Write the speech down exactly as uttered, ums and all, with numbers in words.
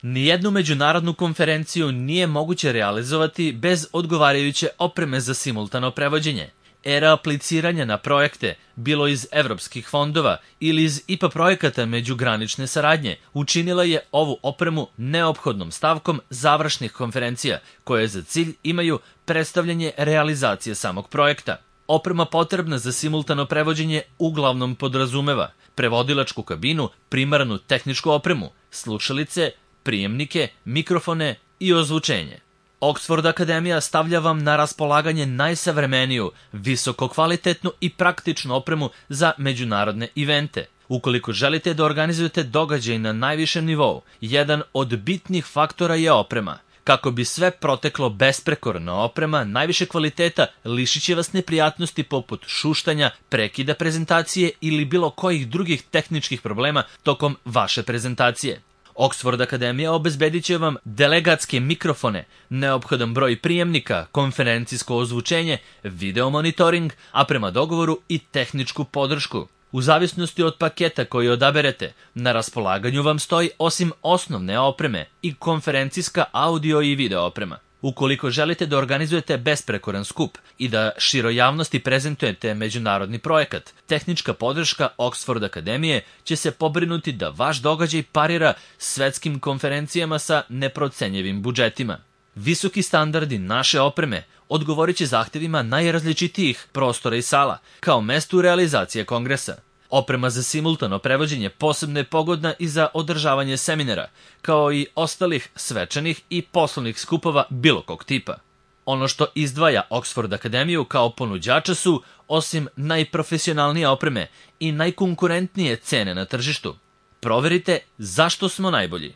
Nijednu međunarodnu konferenciju nije moguće realizovati bez odgovarajuće opreme za simultano prevođenje. Era apliciranja na projekte, bilo iz evropskih fondova ili iz I P A projekata međugranične saradnje, učinila je ovu opremu neophodnom stavkom završnih konferencija, koje za cilj imaju predstavljanje realizacije samog projekta. Oprema potrebna za simultano prevođenje uglavnom podrazumeva prevodilačku kabinu, primarnu tehničku opremu, slušalice, prijemnike, mikrofone i ozvučenje. Oxford Akademija stavlja vam na raspolaganje najsavremeniju, visokokvalitetnu i praktičnu opremu za međunarodne evente. Ukoliko želite da organizujete događaj na najvišem nivou, jedan od bitnih faktora je oprema. Kako bi sve proteklo besprekorno, oprema najviše kvaliteta lišit će vas neprijatnosti poput šuštanja, prekida prezentacije ili bilo kojih drugih tehničkih problema tokom vaše prezentacije. Oxford Akademija obezbedit će vam delegatske mikrofone, neophodan broj prijemnika, konferencijsko ozvučenje, video monitoring, a prema dogovoru i tehničku podršku. U zavisnosti od paketa koji odaberete, na raspolaganju vam stoji osim osnovne opreme i konferencijska audio i video oprema. Ukoliko želite da organizujete besprekoran skup i da široj javnosti prezentujete međunarodni projekat, tehnička podrška Oxford Akademije će se pobrinuti da vaš događaj parira svetskim konferencijama sa neprocenjivim budžetima. Visoki standardi naše opreme odgovorit će zahtevima najrazličitijih prostora i sala, kao mestu realizacije kongresa. Oprema za simultano prevođenje posebno je pogodna i za održavanje seminara, kao i ostalih svečanih i poslovnih skupova bilo kog tipa. Ono što izdvaja Oxford Akademiju kao ponuđača su, osim najprofesionalnije opreme i najkonkurentnije cene na tržištu. Proverite zašto smo najbolji.